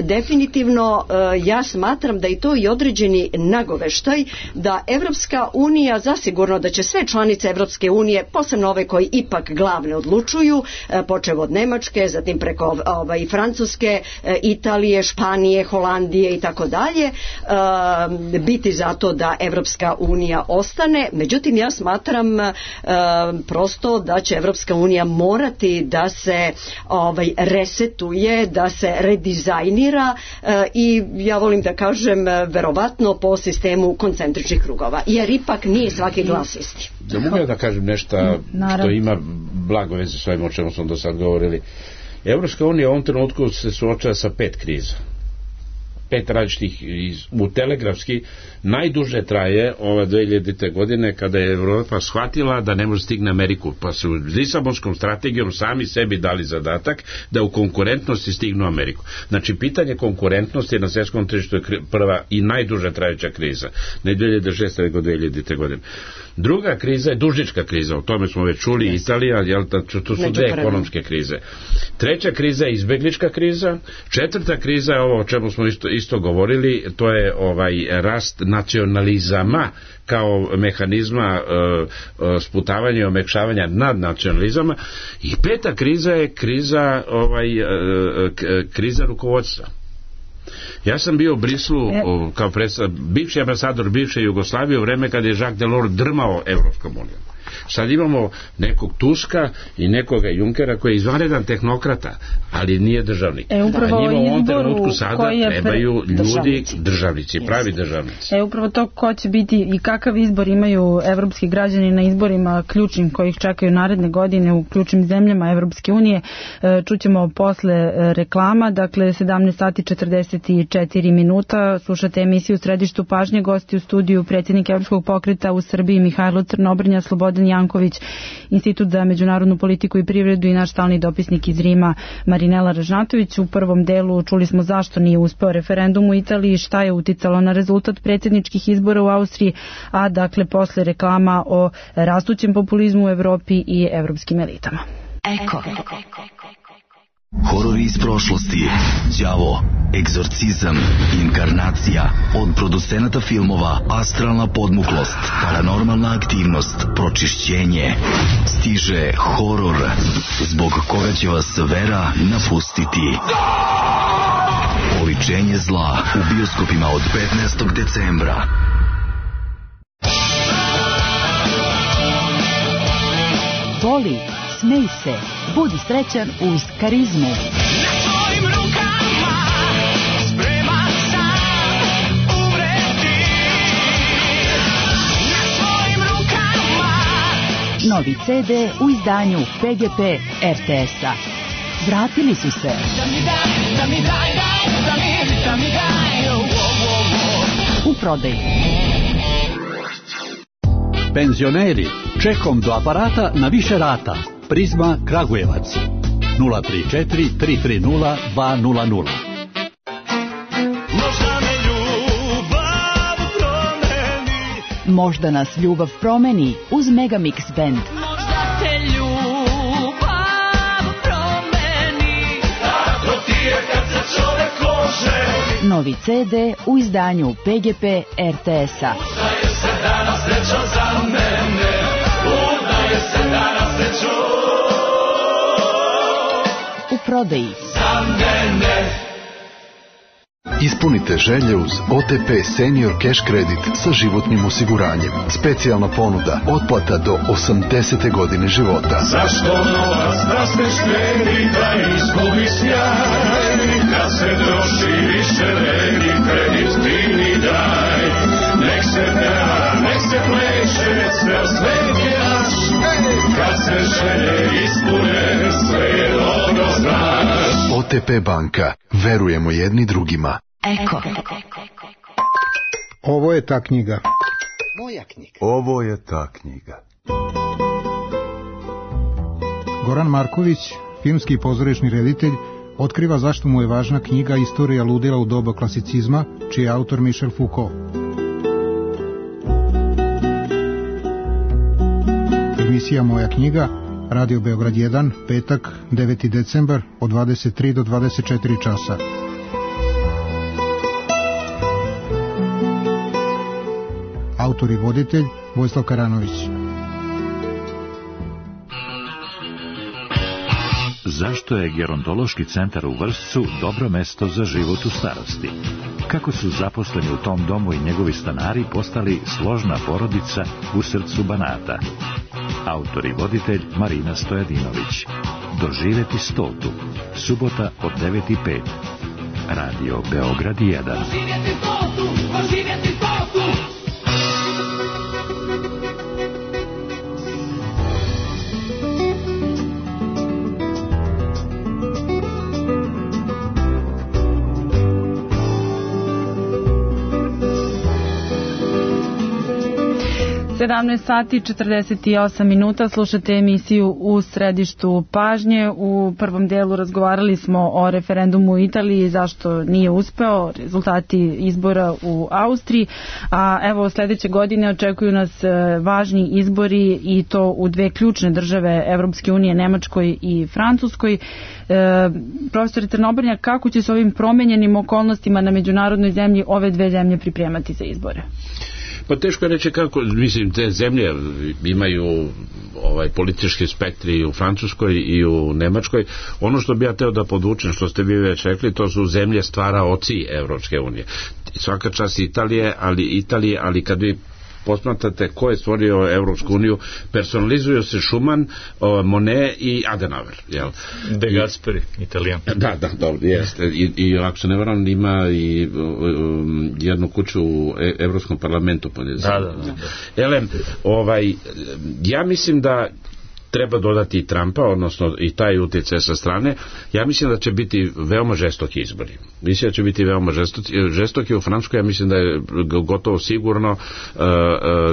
definitivno ja smatram da to i određeni nagoveštaj da Evropska unija, zasigurno da će sve članice Evropske unije, posebno ove koji ipak glavne odlučuju, počev od Nemačke, zatim preko Francuske, Italije, Španije, Holandije i tako dalje, biti za to da Evropska unija ostane. Međutim, ja smatram prosto da će Evropska unija morati da se resetuje, da se redizajnira i ja volim da kažem verovatno po sistemu koncentričnih krugova, jer ipak nije svaki glas isti. Da mogu da kažem nešto što ima blago veze s ovim o čemu smo do sad govorili. Evropska unija u ovom trenutku se suočava sa 5 kriza. 5 različitih u telegrafski najduže traje ova 2000. godine kada je Evropa shvatila da ne može stigne Ameriku, pa su Lisabonskom strategijom sami sebi dali zadatak da u konkurentnosti stignu Ameriku. Znači, pitanje konkurentnosti na svjetskom tržištu je prva i najduže trajeća kriza, ne 2006. nego 2000. godine. Druga kriza je dužnička kriza, o tome smo već čuli, Italija, to su dve ekonomske krize. Treća kriza je izbeglička kriza, četvrta kriza je ovo o čemu smo isto govorili, to je rast nacionalizama kao mehanizma sputavanja i omekšavanja nad nacionalizama, i peta kriza je kriza rukovodstva. Ja sam bio u Brislu kao bivši ambasador bivše Jugoslavije u vreme kada je Jacques Delors drmao Evropskom unijom. Sad imamo nekog Tuska i nekoga Junkera koji je izvanredan tehnokrata, ali nije državnik. A njima u ovom trenutku sada trebaju ljudi, državnici, pravi državnici. Upravo to ko će biti i kakav izbor imaju evropski građani na izborima ključnim koji ih čekaju naredne godine u ključnim zemljama Evropske unije. Čućemo posle reklama, dakle 17 sati 44 minuta. Slušate emisiju u Središtu pažnje, gosti u studiju predsjednik Evropskog pokreta u Srbiji Mihajlo Crnobrnja, Slobodan Janković, Institut za međunarodnu politiku i privredu i naš stalni dopisnik iz Rima Marinela Ražnatović. U prvom delu čuli smo zašto nije uspeo referendum u Italiji, šta je uticalo na rezultat predsjedničkih izbora u Austriji, a dakle posle reklama o rastućem populizmu u Evropi i evropskim elitama. Eko. Horori iz prošlosti, đavo, egzorcizam, inkarnacija, od producenata filmova Astralna podmuklost, Paranormalna aktivnost, Pročišćenje. Stiže horor, zbog koga će vas vera napustiti. Oličenje zla u bioskopima od 15. decembra. Voli, smej se, budi srećan uz Karizmu. Na tvojim rukama spreman sam umreti. Na tvojim rukama. Novi CD u izdanju PGP RTS-a. Vratili su se. U prodaju. Penzioneri, čekom do aparata na više rata. Prizma Kragujevac 034 330 200. Možda nas ljubav promeni uz Megamix Band. Možda te ljubav promeni. Tako ti je kad se čovek oženi. Novi CD u izdanju PGP RTS-a. Udaje se danas sreća za mene. Udaje se danas sreća u prodaji. Za mene. Ispunite želje uz OTP Senior Cash Credit sa životnim osiguranjem. Specijalna ponuda, otplata do 80. godine života. Zašto novac da se štedi, da izgubi sjaj? Kad se troši više vredi, kredit ti mi daj. Nek se peva, nek se pleše, sve svet je naš. Kad se želje ispune, sve je dobro znaš. OTP banka, verujemo jedni drugima. Eko. Ovo je ta knjiga. Moja knjiga. Ovo je ta knjiga. Goran Marković, filmski i pozorišni reditelj, otkriva zašto mu je važna knjiga Istorija ludila u doba klasicizma, čiji je autor Michel Foucault. Emisija Moja knjiga, Radio Beograd 1, petak, 9. decembar, od 23 do 24 časa. Autor i voditelj Vojislav Karanović. Zašto je gerontološki centar u Vršcu dobro mesto za život u starosti? Kako su zaposleni u tom domu i njegovi stanari postali složna porodica u srcu Banata? Autor i voditelj Marina Stojadinović. Doživeti 100. Subota od 9:05. Radio Beograd 1. Doživjeti 100, doživjeti 100. 17 sati 48 minuta, slušate emisiju U središtu pažnje. U prvom delu razgovarali smo o referendumu u Italiji, zašto nije uspeo, rezultati izbora u Austriji, a evo sledeće godine očekuju nas važni izbori i to u dve ključne države Evropske unije, Nemačkoj i Francuskoj. Profesor Crnobrnjak, kako će se ovim promenjenim okolnostima na međunarodnoj zemlji ove dve zemlje pripremati za izbore? Pa teško je reći kako, mislim, te zemlje imaju politički spektri u Francuskoj i u Nemačkoj. Ono što bi ja teo da podvučem, što ste vi već rekli, to su zemlje stvaraoci Evropske unije. Svaka čast Italije, ali kad vi posmatrate ko je stvorio Evropsku uniju, personalizuju se Schuman, Monet i Adenauer. Jel? De Gasperi, Italijan. Da, dobro, jeste. I ako se ne varam, ima i jednu kuću u Evropskom parlamentu. Da. Elem, ja mislim da treba dodati i Trumpa, odnosno i taj utjecaj sa strane. Ja mislim da će biti veoma žestoki izbori. Mislim da će biti veoma žestoki u Francuskoj. Ja mislim da je gotovo sigurno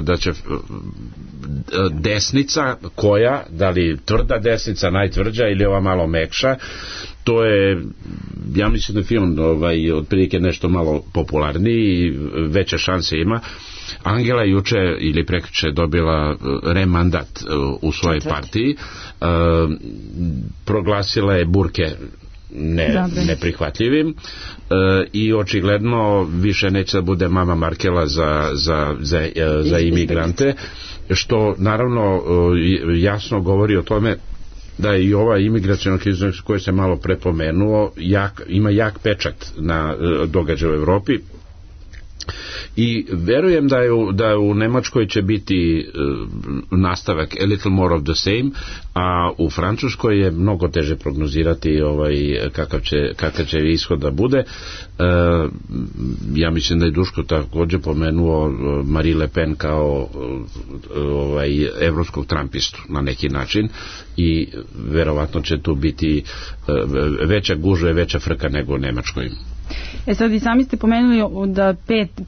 da će desnica koja, da li tvrda desnica, najtvrđa ili ova malo mekša, to je, ja mislim da film otprilike nešto malo popularniji i veće šanse ima. Angela juče ili prekjuče dobila remandat u svojoj partiji, proglasila je burke neprihvatljivim i očigledno više neće da bude mama Markela za imigrante, što naravno jasno govori o tome da je i ova imigracijna kriza koja se malo prepomenuo ima jak pečat na događaje u Evropi. I verujem da u Nemačkoj će biti nastavak a little more of the same, a u Francuskoj je mnogo teže prognozirati kakav će ishod da bude. Ja mislim da je Duško također pomenuo Marie Le Pen kao evropskog trumpistu na neki način i verovatno će tu biti veća gužva i veća frka nego u Nemačkoj. Sad i sami ste pomenuli da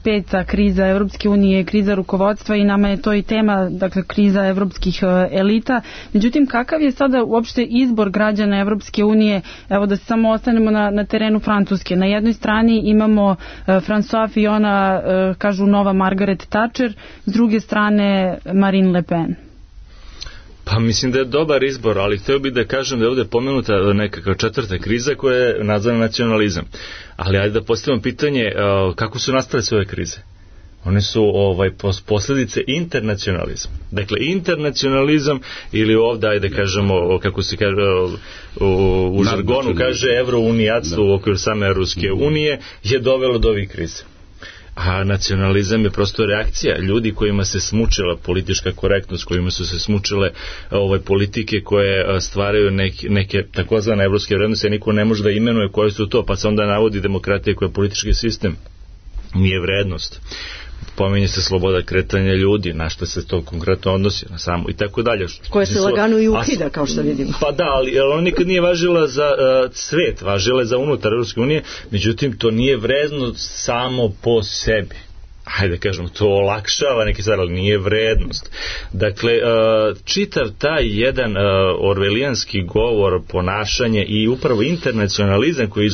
peta kriza Evropske unije je kriza rukovodstva i nama je to i tema, dakle kriza evropskih elita. Međutim, kakav je sada uopšte izbor građana Evropske unije? Evo da se samo ostanemo na terenu Francuske. Na jednoj strani imamo François Fillona, kažu nova Margaret Thatcher, s druge strane Marine Le Pen. Pa mislim da je dobar izbor, ali hteo bih da kažem da je ovdje pomenuta nekakva četvrta kriza koja je nazvana nacionalizam. Ali ajde da postavimo pitanje kako su nastale sve ove krize. One su posljedice internacionalizma. Dakle, internacionalizam ili ovdje, ajde kažemo, kako se kaže u žargonu kaže, evrounijatstvo u okviru same Ruske unije je dovelo do ovih krize. A nacionalizam je prosto reakcija ljudi kojima se smučila politička korektnost, kojima su se smučile politike koje stvaraju neke takozvane evropske vrednosti, a niko ne može da imenuje koje su to, pa se onda navodi demokratija koja je politički sistem, nije vrednost. Pominje se sloboda kretanja ljudi, na što se to konkretno odnosi, na samo i tako dalje. Koje se lagano i ukida, kao što vidimo. Pa da, ali ona nikad nije važila za svet, važila je za unutar Evropske unije, međutim to nije vrednost samo po sebi. Hajde kažemo, to olakšava neki stvar, ali nije vrednost. Dakle, čitav taj jedan orvelijanski govor, ponašanje i upravo internacionalizam koji je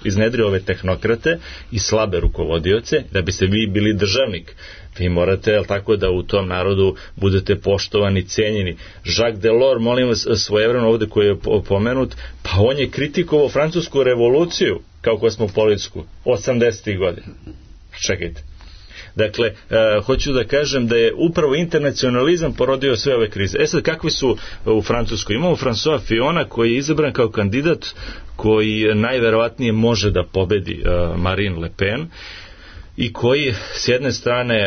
iznedrio ove tehnokrate i slabe rukovodioce, da biste vi bili državnik. Vi morate, tako da u tom narodu budete poštovani, cijenjeni. Jacques Delors, molim vas, svojevremeno ovdje koji je pomenut, pa on je kritikovao francusku revoluciju kao kosmopolitsku 80. godina. Čekajte. Dakle, hoću da kažem da je upravo internacionalizam porodio sve ove krize. Sad, kakvi su u Francuskoj? Imamo François Fillona koji je izabran kao kandidat koji najverovatnije može da pobedi Marine Le Pen i koji s jedne strane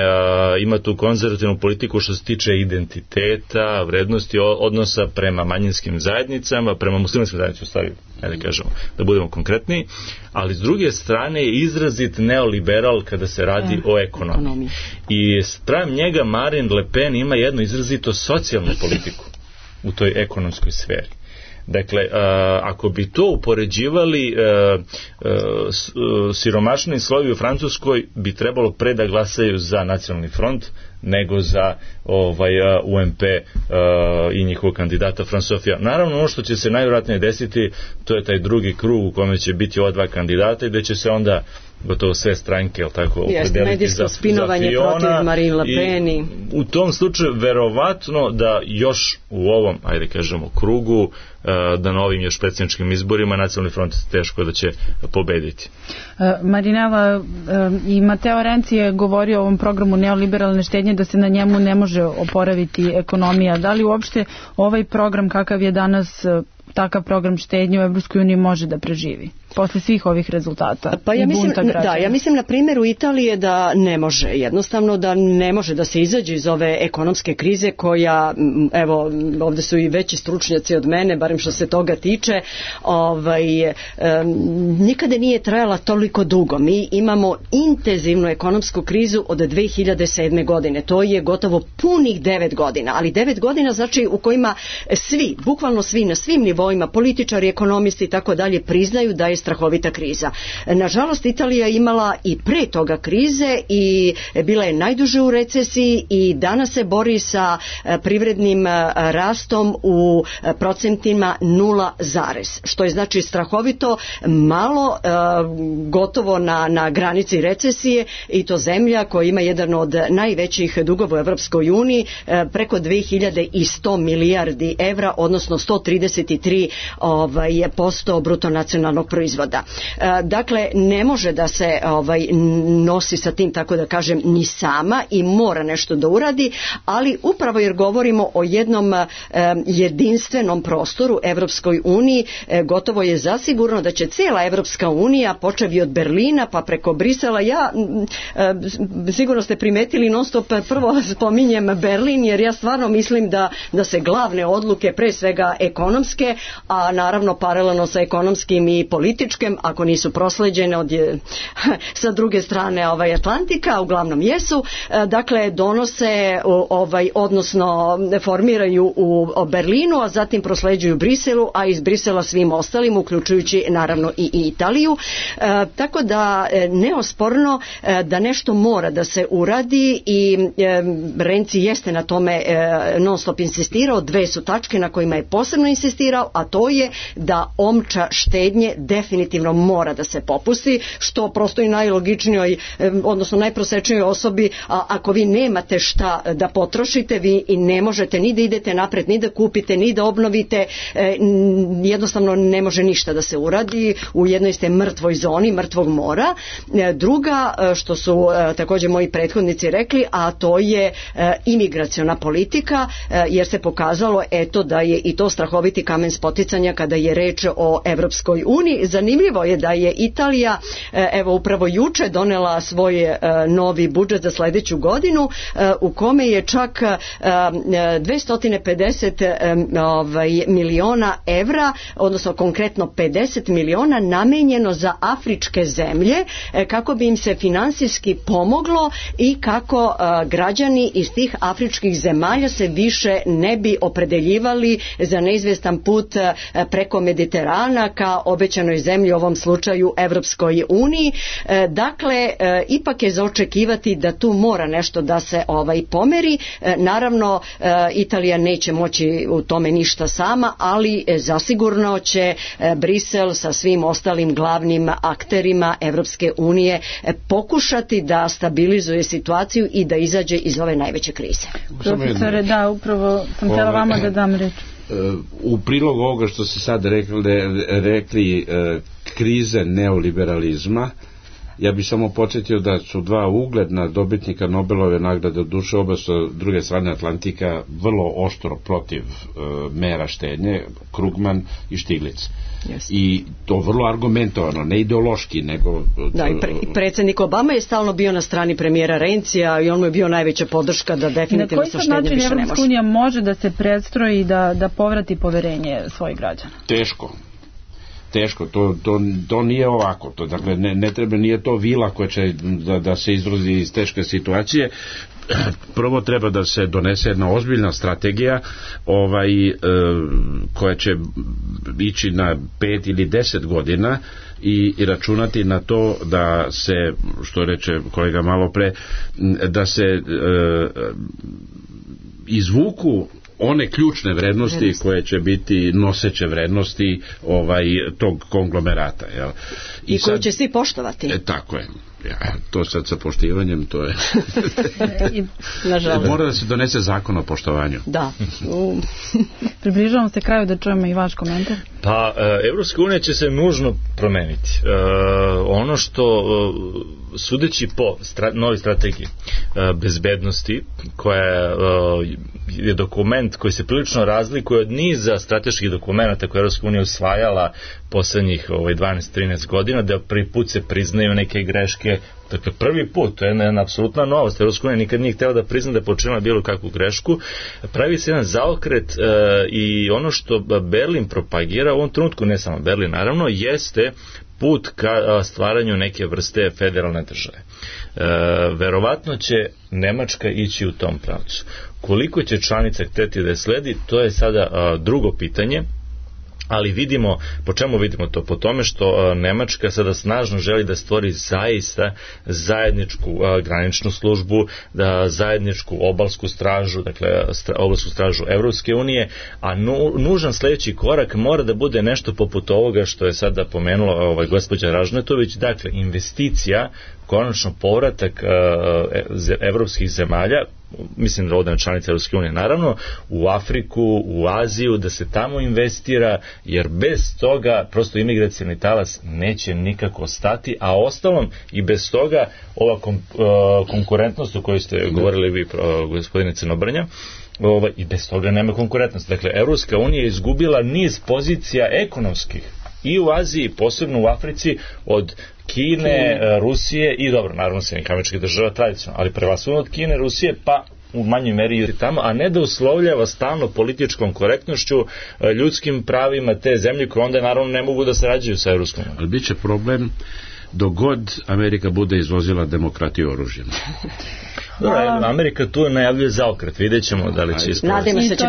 ima tu konzervativnu politiku što se tiče identiteta, vrednosti, odnosa prema manjinskim zajednicama, prema muslimanskim zajednicama, stvari, da kažemo, da budemo konkretniji, ali s druge strane je izrazit neoliberal kada se radi o ekonomiji. I sprem njega Marine Le Pen ima jednu izrazito socijalnu politiku u toj ekonomskoj sferi. Dakle, ako bi to upoređivali, siromašni slojevi u Francuskoj bi trebalo pre da glasaju za Nacionalni front nego za UMP i njihovog kandidata François Fillon. Naravno, ono što će se najvjerojatnije desiti, to je taj drugi krug u kome će biti ova dva kandidata i gde će se onda gotovo sve stranke, jel tako, opredeliti za spinovanje protiv Marine Le Pen. I u tom slučaju verovatno da još u ovom, ajde kažemo, krugu, da na ovim još predsjedničkim izborima Nacionalni front teško da će pobediti. Marinela, i Mateo Renzi je govorio o ovom programu neoliberalne štednje, da se na njemu ne može oporaviti ekonomija. Da li uopšte ovaj program kakav je danas, takav program štednje u EU može da preživi posle svih ovih rezultata? Pa ja mislim na primjeru Italije da ne može, jednostavno da ne može da se izađe iz ove ekonomske krize koja, evo, ovdje su i veći stručnjaci od mene, barem što se toga tiče, nikada nije trajala toliko dugo. Mi imamo intenzivnu ekonomsku krizu od 2007. godine. To je gotovo punih 9 godina, ali 9 godina znači u kojima svi, bukvalno svi na svim nivoima, političari, ekonomisti i tako dalje, priznaju da je strahovita kriza. Nažalost, Italija je imala i pre toga krize i bila je najduže u recesiji i danas se bori sa privrednim rastom u procentima 0, što je znači strahovito malo, gotovo na granici recesije, i to zemlja koja ima jedan od najvećih dugova u Evropskoj uniji, preko 2100 milijardi evra, odnosno 133% bruto nacionalnog proizvoda. Dakle, ne može da se nosi sa tim, tako da kažem, ni sama i mora nešto da uradi, ali upravo jer govorimo o jednom jedinstvenom prostoru, Evropskoj uniji, gotovo je zasigurno da će cijela Evropska unija, počevi od Berlina pa preko Brisela, sigurno ste primetili, non stop prvo spominjem Berlin, jer ja stvarno mislim da se glavne odluke, pre svega ekonomske, a naravno paralelno sa ekonomskim i političkim, ako nisu prosleđene sa druge strane Atlantika, uglavnom jesu, dakle donose, odnosno formiraju u Berlinu, a zatim prosleđuju Briselu, a iz Brisela svim ostalim, uključujući naravno i Italiju. Tako da neosporno da nešto mora da se uradi i Renzi jeste na tome non stop insistirao. Dve su tačke na kojima je posebno insistirao, a to je da omča štednje definitivno mora da se popusti, što prosto i najlogičnijoj, odnosno najprosečnijoj osobi, ako vi nemate šta da potrošite, vi i ne možete ni da idete napred, ni da kupite, ni da obnovite, jednostavno ne može ništa da se uradi, u jednoj ste mrtvoj zoni, mrtvog mora. Druga, što su također moji prethodnici rekli, a to je imigraciona politika, jer se pokazalo da je i to strahoviti kamen spoticanja kada je reč o Evropskoj uniji. Zanimljivo je da je Italija upravo juče donela svoj novi budžet za sljedeću godinu, u kome je čak 250 miliona evra, odnosno konkretno 50 miliona namijenjeno za afričke zemlje, kako bi im se finansijski pomoglo i kako građani iz tih afričkih zemalja se više ne bi opredeljivali za neizvjestan put preko Mediterana ka obećanoj zemlji, u ovom slučaju Evropskoj uniji. Dakle, ipak je za očekivati da tu mora nešto da se pomeri. Naravno, Italija neće moći u tome ništa sama, ali zasigurno će Brisel sa svim ostalim glavnim akterima Evropske unije pokušati da stabilizuje situaciju i da izađe iz ove najveće krize. Profesore, da, upravo sam htjela vama da dam reč. U prilog ovoga što ste sad rekli krize neoliberalizma, ja bih samo podsjetio da su dva ugledna dobitnika Nobelove nagrade, duše oba sa druge strane Atlantika, vrlo oštro protiv mera štednje, Krugman i Stiglitz. Yes. I to vrlo argumentovano, ne ideološki, nego... i predsjednik Obama je stalno bio na strani premijera Renzija i on mu je bio najveća podrška da definitivno sa štednje više ne može. Na koji način Evropska unija može da se predstroji da povrati poverenje svojih građana? Teško, to nije ovako, dakle ne treba, nije to vila koja će da se izrazi iz teške situacije. prvo treba da se donese jedna ozbiljna strategija koja će ići na 5 ili 10 godina i računati na to da se, što reče kolega malo pre, da se izvuku one ključne vrednosti koje će biti noseće vrednosti tog konglomerata. Jel? I koju će svi poštovati. Tako je. To sad sa poštivanjem, to je... Mora da se donese zakon o poštovanju. Da. Približavamo se kraju da čujemo i vaš komentar. Pa, Evropska unija će se nužno promeniti. Ono što, sudeći po novoj strategiji bezbednosti, koja je dokument koji se prilično razlikuje od niza strateških dokumenta koje Evropska unija usvajala poslednjih 12-13 godina, da prvi put se priznaju neke greške. Dakle, prvi put, to je jedna apsolutna novost. Evropska unija nikad nije htjela da prizna da je počinila bilo kakvu grešku. Pravi se jedan zaokret i ono što Berlin propagira u ovom trenutku, ne samo Berlin naravno, jeste put ka stvaranju neke vrste federalne države. Verovatno će Nemačka ići u tom pravcu. Koliko će članica hteti da je sledi, to je sada drugo pitanje. Ali vidimo, po čemu vidimo to? Po tome što Nemačka sada snažno želi da stvori zaista zajedničku graničnu službu, zajedničku obalsku stražu, dakle obalsku stražu Evropske unije, a nužan sledeći korak mora da bude nešto poput ovoga što je sada pomenula gospođa Ražnatović, dakle investicija, konačno povratak evropskih zemalja, mislim da ovdje članica Evropske unije naravno, u Afriku, u Aziju, da se tamo investira, jer bez toga prosto imigracioni talas neće nikako stati, a ostalom i bez toga ova konkurentnost o kojoj ste govorili vi, gospodine Crnobrnja, i bez toga nema konkurentnosti. Dakle, Evropska unija je izgubila niz pozicija ekonomskih i u Aziji, posebno u Africi, od Kine, Rusije i dobro, naravno Sjedinjenih Američkih Država tradicionalno, ali prevashodno od Kine, Rusije, pa u manjoj meri i tamo, a ne da uslovljava stalno političkom korektnošću, ljudskim pravima te zemlje koje onda naravno ne mogu da sarađuju sa Evropskom unijom. Ali bit će problem dok god Amerika bude izvozila demokratiju oružjem. Amerika tu najavljuje zaokret, vidjet ćemo da li će ispraviti. I to će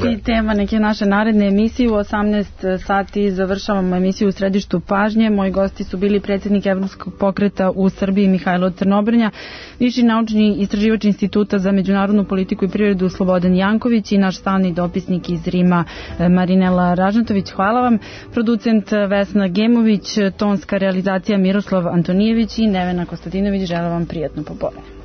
biti tema neke naše naredne emisije. U 18 sati završavamo emisiju u središtu pažnje. Moji gosti su bili predsjednik Evropskog pokreta u Srbiji Mihajlo Crnobrnja, viši naučni istraživač Instituta za međunarodnu politiku i privredu Slobodan Janković i naš stalni dopisnik iz Rima Marinela Ražnatović. Hvala vam. Producent Vesna Gemović, tonska realizacija Miroslav Antonijević i Nevena Kostadinović. Želim vam prijatno popodne.